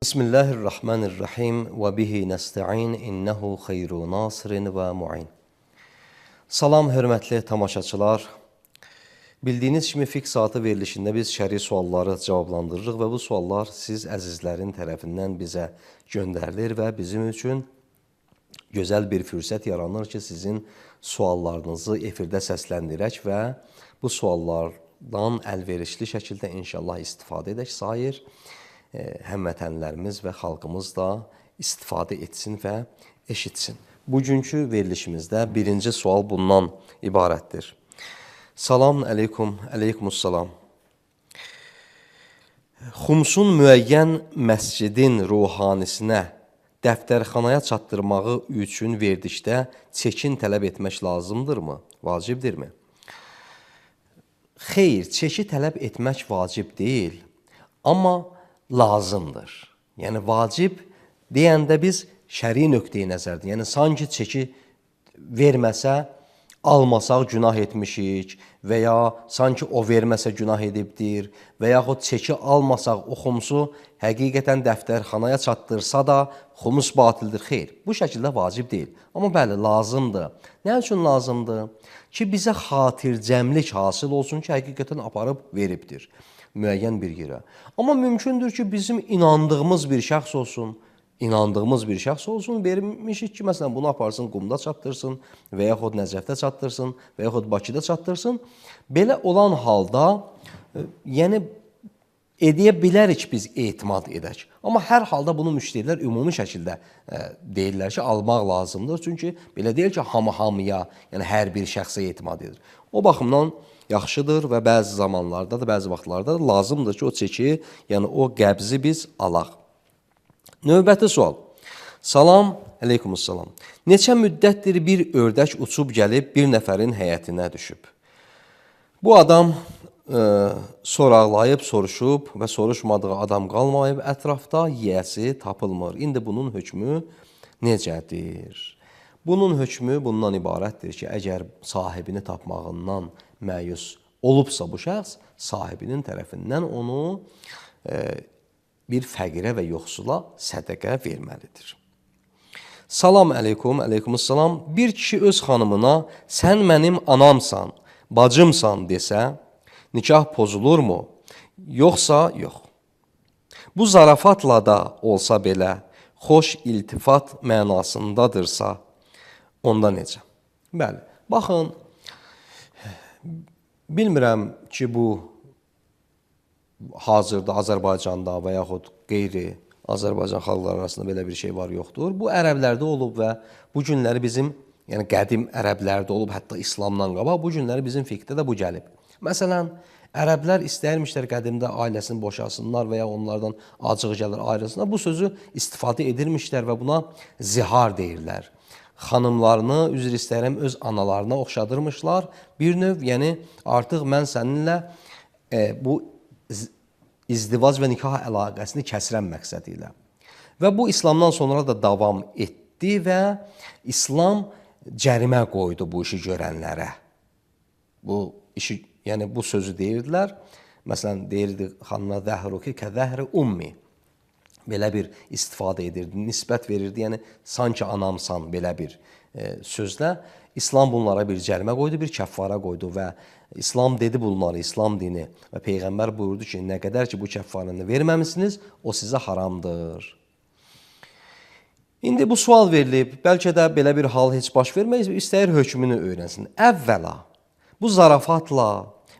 Bismillahirrahmanirrahim və bihi nəstəin innehu xeyru nasirin və mu'in. Salam hörmətli tamaşaçılar. Bildiyiniz kimi fiqh saatı verilişində biz şəri sualları cavablandırırıq və bu suallar siz əzizlərin tərəfindən bizə göndərilir və bizim üçün gözəl bir fürsət yaranır ki, sizin suallarınızı efirdə səsləndirək və bu suallardan əlverişli şəkildə inşallah istifadə edək. Sair həmvətənlərimiz və xalqımız da istifadə etsin və eşitsin. Bugünkü verilişimizdə birinci sual bundan ibarətdir. Salam əleykum, əleykumussalam. Xumsun müəyyən məscidin ruhanisinə dəftərxanaya çatdırmağı üçün verdikdə çekin tələb etmək lazımdırmı? Vacibdirmi? Xeyr, çeki tələb etmək vacib deyil, amma lazımdır. Yəni, vacib deyəndə biz şəri nöqteyi nəzərdir. Yəni, sanki çeki verməsə, almasaq günah etmişik və ya sanki o verməsə günah edibdir və yaxud çeki almasaq o xumsu həqiqətən dəftərxanaya çatdırsa da xumus batildir. Xeyr, bu şəkildə vacib deyil. Amma bəli, lazımdır. Nə üçün lazımdır? Ki, bizə xatircəmlik hasıl olsun ki, həqiqətən aparıb veribdir müəyyən bir yerə. Amma mümkündür ki, bizim inandığımız bir şəxs olsun, vermişik ki, məsələn, bunu aparsın, Qumda çatdırsın və yaxud Nəcəfdə çatdırsın və yaxud Bakıda çatdırsın. Belə olan halda, yəni, edə bilərik biz etimad edək. Amma hər halda bunu müşterilər ümumi şəkildə deyirlər ki, almaq lazımdır. Çünki belə deyil ki, hamıya, yəni hər bir şəxsə etimad edir. O baxımdan yaxşıdır və bəzi zamanlarda da, bəzi vaxtlarda da lazımdır ki, o çeki, yəni o qəbzi biz alaq. Növbəti sual. Salam, əleykumussalam. Neçə müddətdir bir ördək uçub gəlib bir nəfərin həyətinə düşüb? Bu adam soraqlayıb, soruşub və soruşmadığı adam qalmayıb, ətrafda yiyəsi tapılmır. İndi bunun hökmü necədir? Bunun hökmü bundan ibarətdir ki, əgər sahibini tapmağından məyus olubsa bu şəxs, sahibinin tərəfindən onu bir fəqirə və yoxsula sədəqə verməlidir. Salam əleykum, əleykumussalam. Bir kişi öz xanımına sən mənim anamsan, bacımsan desə, nikah pozulurmu? Yoxsa yox. Bu zarafatla da olsa belə, xoş iltifat mənasındadırsa, onda necə? Bəli, baxın, bilmirəm ki, bu hazırda Azərbaycanda və yaxud qeyri Azərbaycan xalqları arasında belə bir şey var, yoxdur. Bu ərəblərdə olub və bu günləri bizim, yəni qədim ərəblərdə olub, hətta İslamdan qabaq, bu günləri bizim fiqhdə də bu gəlib. Məsələn, ərəblər istəyirmişlər qədimdə ailəsini boşasınlar və ya onlardan acıq gəlir ayrılsınlar. Bu sözü istifadə edirmişlər və buna zihar deyirlər. Xanımlarını, üzr istəyirəm, öz analarına oxşadırmışlar. Bir növ, yəni artıq mən səninlə bu izdivac və nikah əlaqəsini kəsrən məqsədi ilə. Və bu İslamdan sonra da davam etdi və İslam cərimə qoydu bu işi görənlərə. Bu işi, yəni bu sözü deyirdilər. Məsələn, deyirdi xanına zəhruki kəzəhri ummi. Belə bir istifadə edirdi, nisbət verirdi, yəni sanki anamsan belə bir sözlə. İslam bunlara bir cərimə qoydu, bir kəffara qoydu və İslam dedi bunları, İslam dini və Peyğəmbər buyurdu ki, nə qədər ki bu kəffarını verməmisiniz, o sizə haramdır. İndi bu sual verilib, bəlkə də belə bir hal heç baş verməyiz, istəyir hökmünü öyrənsin. Əvvəla, bu zarafatla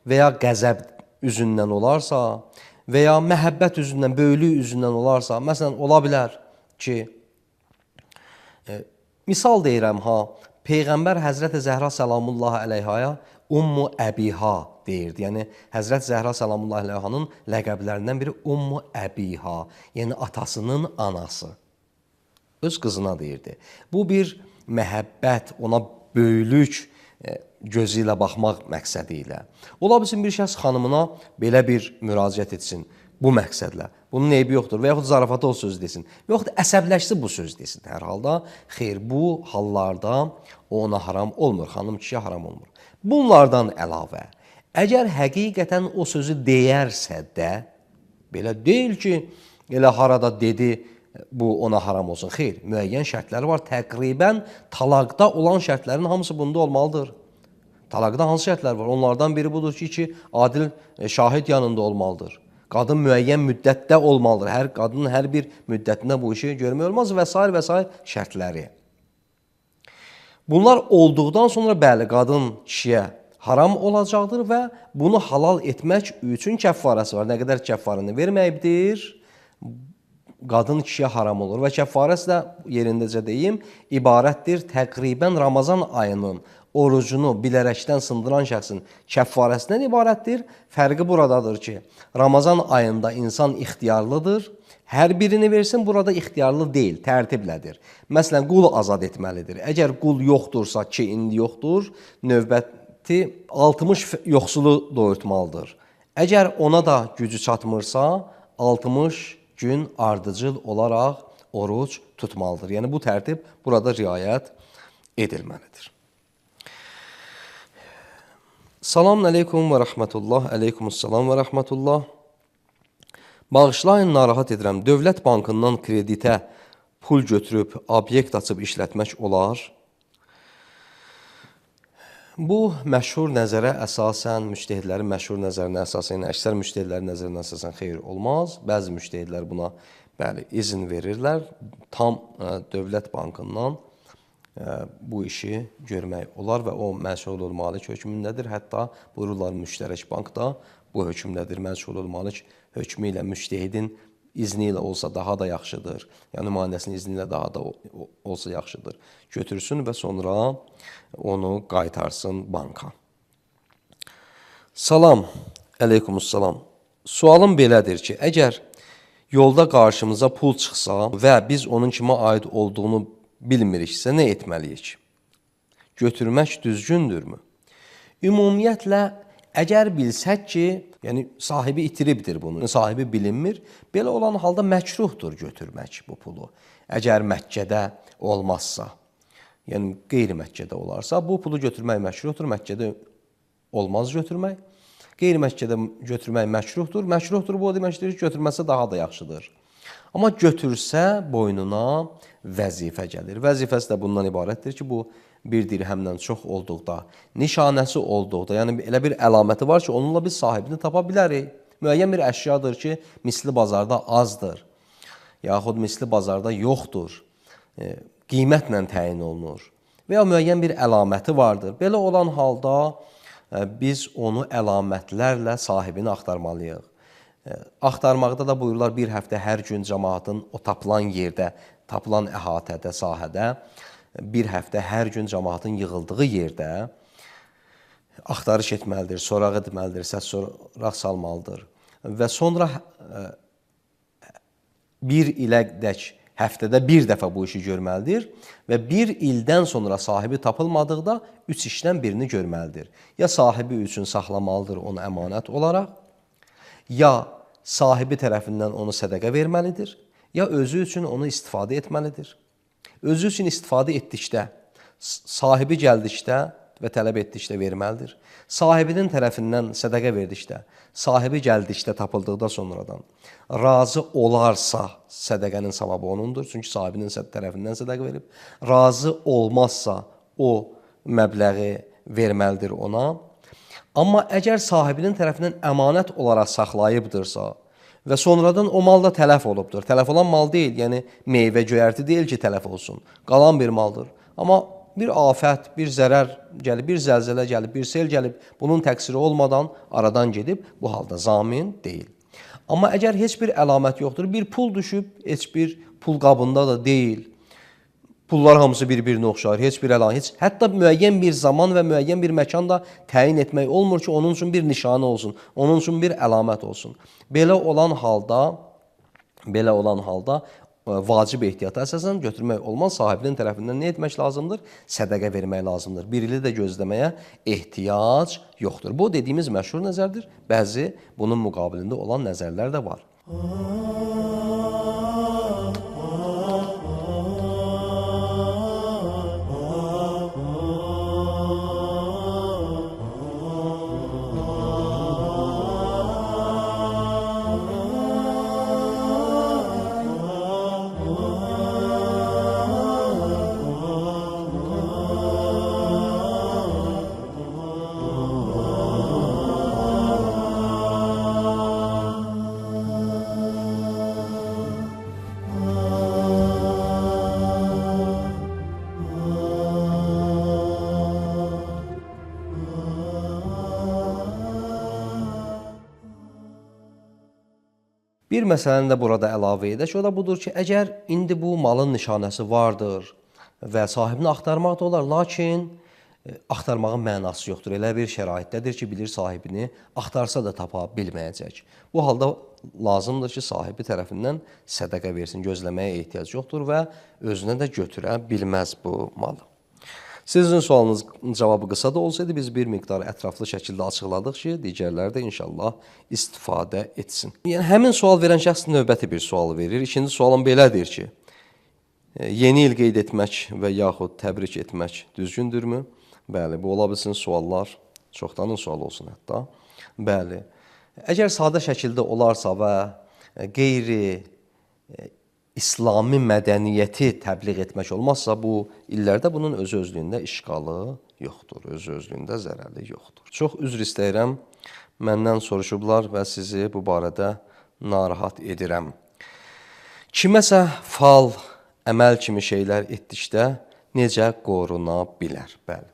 və ya qəzəb üzündən olarsa və ya məhəbbət üzündən, böyülük üzündən olarsa, məsələn, ola bilər ki, misal deyirəm ha, Peyğəmbər Həzrət Zəhra Səlamullahi əleyhaya Ummu Əbiha deyirdi. Yəni, Həzrət Zəhra Səlamullahi əleyhanın ləqəblərindən biri Ummu Əbiha, yəni atasının anası. Öz qızına deyirdi. Bu bir məhəbbət, ona böyülük gözü ilə baxmaq məqsədi ilə. Ola bilsin bir şəxs xanımına belə bir müraciət etsin bu məqsədlə. Bunun eybi yoxdur və yaxud zarafata o söz desin və yaxud əsəbləşsi bu söz desin. Hər halda, xeyr, bu hallarda ona haram olmur, xanım kişiyə haram olmur. Bunlardan əlavə, əgər həqiqətən o sözü deyərsə də, belə deyil ki, Elə harada dedi bu ona haram olsun. Xeyr, müəyyən şərtləri var. Təqribən talaqda olan şərtlərin hamısı bunda olmalıdır. Talaqda hansı şərtlər var? Onlardan biri budur ki, iki adil şahid yanında olmalıdır. Qadın müəyyən müddətdə olmalıdır. Hər qadının hər bir müddətində bu işi görmək olmaz və s. şərtləri. Bunlar olduqdan sonra bəli, qadın kişiyə haram olacaqdır və bunu halal etmək üçün kəffarəsi var. Nə qədər kəffarını verməyibdir, qadın kişiyə haram olur və kəffarəsi də yerindəcə deyim, ibarətdir təqribən Ramazan ayının orucunu bilərəkdən sındıran şəxsin kəffarəsindən ibarətdir. Fərqi buradadır ki, Ramazan ayında insan ixtiyarlıdır. Hər birini versin, burada ixtiyarlı deyil, tərtiblədir. Məsələn, qul azad etməlidir. Əgər qul yoxdursa ki, indi yoxdur, növbəti 60 yoxsulu doyurtmalıdır. Əgər ona da gücü çatmırsa, 60 gün ardıcıl olaraq oruc tutmalıdır. Yəni, bu tərtib burada riayət edilməlidir. Selamun aleykum və rəhmətullah, aleykumussalam və rəhmətullah. Bağışlayın, narahat edirəm. Dövlət bankından kreditə pul götürüb, obyekt açıb işlətmək olar. Bu məşhur nəzərə əsasən, müştəhidlərin məşhur nəzərinə əsasən, əksər müştəhidlərin nəzərinə əsasən xeyir olmaz. Bəzi müştəhidlər buna izin verirlər. Tam dövlət bankından bu işi görmək olar və o məşğulul malik hökmündədir. Hətta buyururlar müştərək bankda bu hökmdədir. Məşğulul malik hökmü ilə müştəhidin izni ilə olsa daha da yaxşıdır. Yəni nümayəndəsinin izni ilə daha da olsa yaxşıdır. Götürsün və sonra onu qaytarsın banka. Salam, əleykumussalam. Sualım belədir ki, əgər yolda qarşımıza pul çıxsa və biz onun kimə aid olduğunu bilmiriksə, nə etməliyik? Götürmək düzgündürmü? Ümumiyyətlə, əgər bilsək ki, yəni sahibi itiribdir bunu, sahibi bilinmir, belə olan halda məkruhdur götürmək bu pulu. Əgər Məkkədə olmazsa, yəni qeyri-Məkkədə olarsa, bu pulu götürmək məkruhdur, Məkkədə olmaz götürmək. Qeyri-Məkkədə götürmək məkruhdur, məkruhdur bu o deməkdir ki, götürməsə daha da yaxşıdır. Amma götürsə boynuna vəzifə gəlir. Vəzifəsi də bundan ibarətdir ki, bu bir dirhəmdən çox olduqda, nişanəsi olduqda, yəni elə bir əlaməti var ki, onunla biz sahibini tapa bilərik. Müəyyən bir əşyadır ki, misli bazarda azdır, yaxud misli bazarda yoxdur, qiymətlə təyin olunur və ya müəyyən bir əlaməti vardır. Belə olan halda biz onu əlamətlərlə sahibini axtarmalıyıq. Axtarmaqda da buyururlar, bir həftə hər gün cəmaatın o tapılan yerdə, tapılan əhatədə, sahədə, bir həftə hər gün cəmaatın yığıldığı yerdə axtarış etməlidir, soraq etməlidir, səs soraq salmalıdır. Və sonra bir ilədək həftədə bir dəfə bu işi görməlidir və bir ildən sonra sahibi tapılmadıqda 3 işdən birini görməlidir. Ya sahibi üçün saxlamalıdır onu əmanət olaraq, ya sahibi tərəfindən onu sədəqə verməlidir, ya özü üçün onu istifadə etməlidir. Özü üçün istifadə etdikdə, sahibi gəldikdə və tələb etdikdə verməlidir. Sahibinin tərəfindən sədəqə verdikdə, sahibi gəldikdə, tapıldıqda sonradan razı olarsa sədəqənin savabı onundur. Çünki sahibinin tərəfindən sədəqə verib. Razı olmazsa o məbləği verməlidir ona. Amma əgər sahibinin tərəfindən əmanət olaraq saxlayıbdırsa və sonradan o mal da tələf olubdur. Tələf olan mal deyil, yəni meyvə göyərti deyil ki, tələf olsun. Qalan bir maldır. Amma bir afət, bir zərər gəlib, bir zəlzələ gəlib, bir sel gəlib, bunun təqsiri olmadan aradan gedib, bu halda zamin deyil. Amma əgər heç bir əlamət yoxdur, bir pul düşüb, heç bir pul qabında da deyil, pullar hamısı bir-birinə oxşar, heç bir əlamət, hətta müəyyən bir zaman və müəyyən bir məkan da təyin etmək olmur ki, onun üçün bir nişanə olsun, onun üçün bir əlamət olsun. Belə olan halda vacib ehtiyata əsasən götürmək olmaz. Sahibinin tərəfindən nə etmək lazımdır? Sədəqə vermək lazımdır. Bir ili də gözləməyə ehtiyac yoxdur. Bu dediyimiz məşhur nəzərdir. Bəzi bunun müqabilində olan nəzərlər də var. Bir məsələni də burada əlavə edək. O da budur ki, əgər indi bu malın nişanəsi vardır və sahibini axtarmaq da olar, lakin axtarmağın mənası yoxdur. Elə bir şəraitdədir ki, bilir sahibini axtarsa da tapa bilməyəcək. Bu halda lazımdır ki, sahibi tərəfindən sədəqə versin, gözləməyə ehtiyac yoxdur və özünə də götürə bilməz bu malı. Sizin sualınızın cavabı qısa da olsaydı, biz bir miqdar ətraflı şəkildə açıqladıq ki, digərləri də inşallah istifadə etsin. Yəni, həmin sual verən şəxs növbəti bir sual verir. İkinci sualım belədir ki, yeni il qeyd etmək və yaxud təbrik etmək düzgündürmü? Bəli, bu ola bilsin suallar, çoxdanın sualı olsun hətta. Bəli, əgər sadə şəkildə olarsa və qeyri İslami mədəniyyəti təbliğ etmək olmazsa, bu illərdə bunun öz-özlüyündə işğalı yoxdur, öz-özlüyündə zərəri yoxdur. Çox üzr istəyirəm, məndən soruşublar və sizi bu barədə narahat edirəm. Kiməsə fal, əməl kimi şeylər etdikdə necə qoruna bilər? Bəli.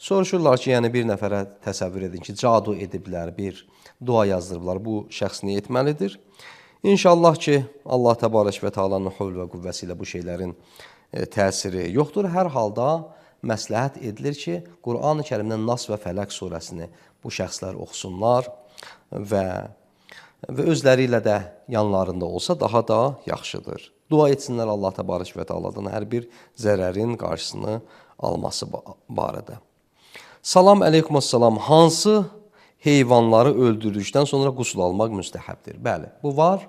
Soruşurlar ki, yəni bir nəfərə təsəvvür edin ki, cadu ediblər, bir dua yazdırıblar, bu şəxs nə etməlidir? İnşallah ki, Allah təbarək və Teala'nın hövl və qüvvəsi ilə bu şeylərin təsiri yoxdur. Hər halda məsləhət edilir ki, Qur'an-ı Kərimdən Nas və Fələq surəsini bu şəxslər oxusunlar və özləri ilə də yanlarında olsa daha da yaxşıdır. Dua etsinlər Allah təbarək və Teala'dan hər bir zərərin qarşısını alması barədə. Salam əleykum əssalam. Hansı heyvanları öldürdükdən sonra qusul almaq müstəhəbdir? Bəli, bu var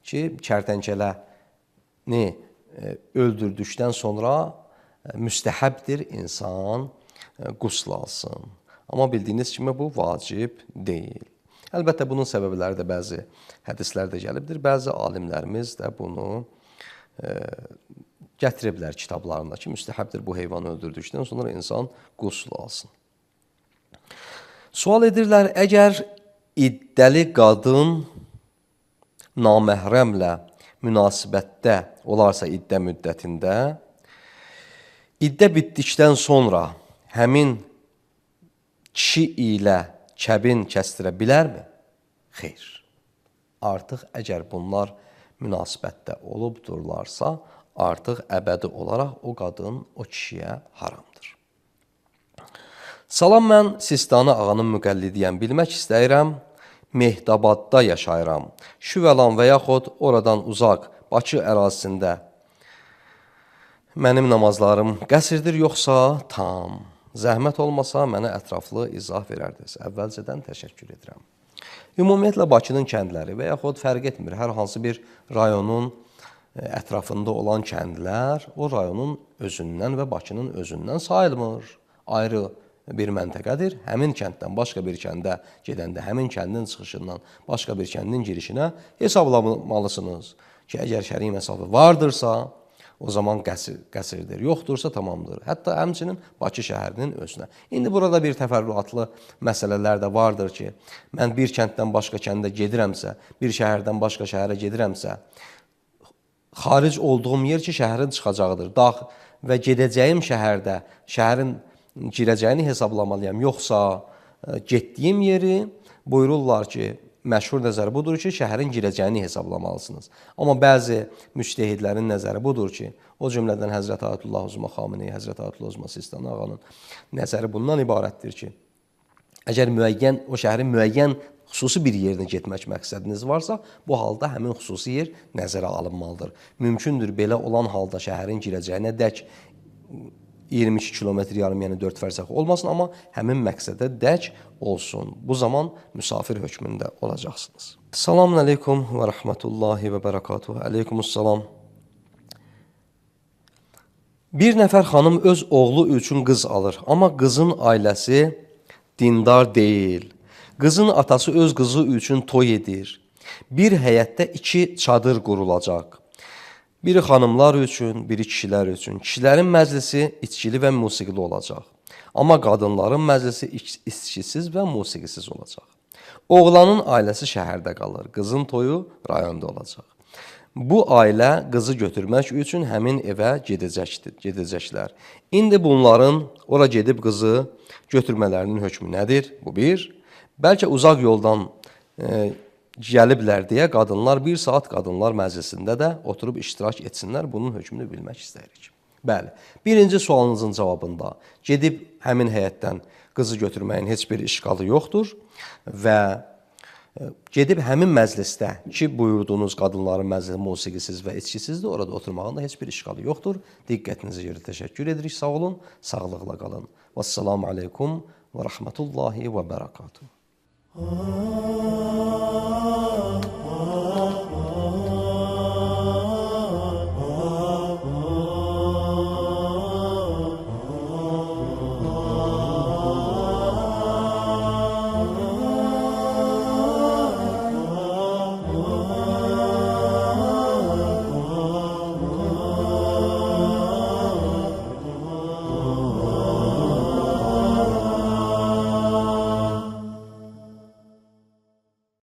ki, kərtənkələni öldürdükdən sonra müstəhəbdir insan qusul alsın. Amma bildiyiniz kimi bu vacib deyil. Əlbəttə, bunun səbəbləri də bəzi hədislərdə gəlibdir. Bəzi alimlərimiz də bunu gətiriblər kitablarında ki, müstəhəbdir bu heyvanı öldürdükdən sonra insan qusul alsın. Sual edirlər, əgər iddəli qadın naməhrəmlə münasibətdə olarsa iddə müddətində, iddə bitdikdən sonra həmin kişi ilə kəbin kəstirə bilərmi? Xeyr. Artıq əgər bunlar münasibətdə olubdurlarsa, artıq əbədi olaraq o qadın o kişiyə haramdır. Salam, mən Sistani ağanın müqəllidiyəm. Bilmək istəyirəm, Mehdabadda yaşayıram. Şüvəlan və yaxud oradan uzaq, Bakı ərazisində mənim namazlarım qəsrdir, yoxsa tam? Zəhmət olmasa, mənə ətraflı izah verərdiniz. Əvvəlcədən təşəkkür edirəm. Ümumiyyətlə, Bakının kəndləri və yaxud fərq etmir, hər hansı bir rayonun ətrafında olan kəndlər o rayonun özündən və Bakının özündən sayılmır. Ayrı bir məntəqədir. Həmin kənddən başqa bir kəndə gedəndə, həmin kəndin çıxışından başqa bir kəndin girişinə hesablamalısınız ki, əgər şəri məsafə vardırsa, o zaman qəsrdir, yoxdursa tamamdır. Hətta həmçinin Bakı şəhərinin özünə. İndi burada bir təfərrüatlı məsələlər də vardır ki, mən bir kənddən başqa kəndə gedirəmsə, bir şəhərdən başqa şəhərə gedirəmsə, xaric olduğum yer ki, şəhərin çıxacağıdır. Və gedəcəyim şəhərdə, şəhərin girəcəyini hesablamalıyam. Yoxsa getdiyim yeri buyururlar ki, məşhur nəzəri budur ki, şəhərin girəcəyini hesablamalısınız. Amma bəzi müctəhidlərin nəzəri budur ki, o cümlədən Həzrət Ayətullah Uzma Xameneyi, Həzrət Ayətullah Uzma Sistani ağanın nəzəri bundan ibarətdir ki, əgər o şəhərin müəyyən xüsusi bir yerinə getmək məqsədiniz varsa, bu halda həmin xüsusi yer nəzərə alınmalıdır. Mümkündür belə olan halda şəhərin girəcəyinə dək 22 kilometr yarım, yəni 4 fərsəx olmasın, amma həmin məqsədə dək olsun. Bu zaman müsafir hökmündə olacaqsınız. Selamun aleykum və rəhmətullahi və bərəkatuhu. Aleykumussalam. Bir nəfər xanım öz oğlu üçün qız alır, amma qızın ailəsi dindar deyil. Qızın atası öz qızı üçün toy edir. Bir həyətdə 2 çadır qurulacaq. Biri xanımlar üçün, biri kişilər üçün. Kişilərin məclisi içkili və musiqili olacaq. Amma qadınların məclisi içkisiz və musiqisiz olacaq. Oğlanın ailəsi şəhərdə qalır. Qızın toyu rayonda olacaq. Bu ailə qızı götürmək üçün həmin evə gedəcəklər. İndi bunların ora gedib qızı götürmələrinin hökmü nədir? Bu bir. Bəlkə uzaq yoldan gəliblər deyə qadınlar 1 saat qadınlar məclisində də oturub iştirak etsinlər. Bunun hökmünü bilmək istəyirik. Bəli, birinci sualınızın cavabında gedib həmin həyətdən qızı götürməyin heç bir işqalı yoxdur və gedib həmin məclisdə ki, buyurduğunuz qadınların məclisi musiqisiz və içkisizdir, orada oturmağın da heç bir işqalı yoxdur. Diqqətinizi görə təşəkkür edirik, sağ olun, sağlıqla qalın. Vəssalamu aleykum və rəhmətullahi və bərəkatuhu.